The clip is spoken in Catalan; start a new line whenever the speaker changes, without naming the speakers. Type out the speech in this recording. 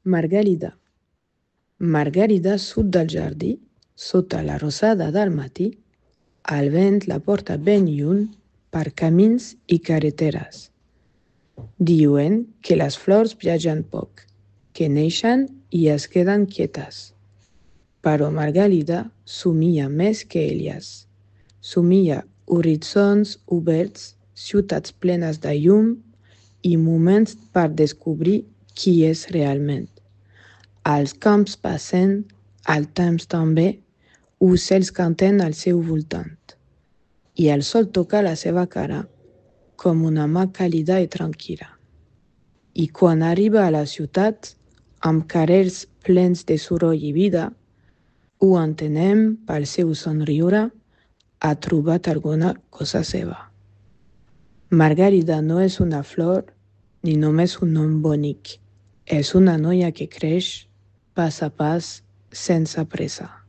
Margàrida. Margàrida surt del jardí, sota la rosada del matí. El vent la porta ben lluny per camins i carreteres. Diuen que les flors viatgen poc, que neixen i es queden quietes. Però Margàrida somia més que elles. Somia horitzons oberts, ciutats plenes de llum i moments per descobrir qui és realment. Els camps passen, el temps també, ocells canten al seu voltant. I el sol toca la seva cara, com una mà càlida i tranquil·la. I quan arriba a la ciutat, amb carrers plens de soroll i vida, ho entenem pel seu somriure, ha trobat alguna cosa seva. Margàrida no és una flor ni només un nom bonic. És una noia que creix pas a pas sense pressa.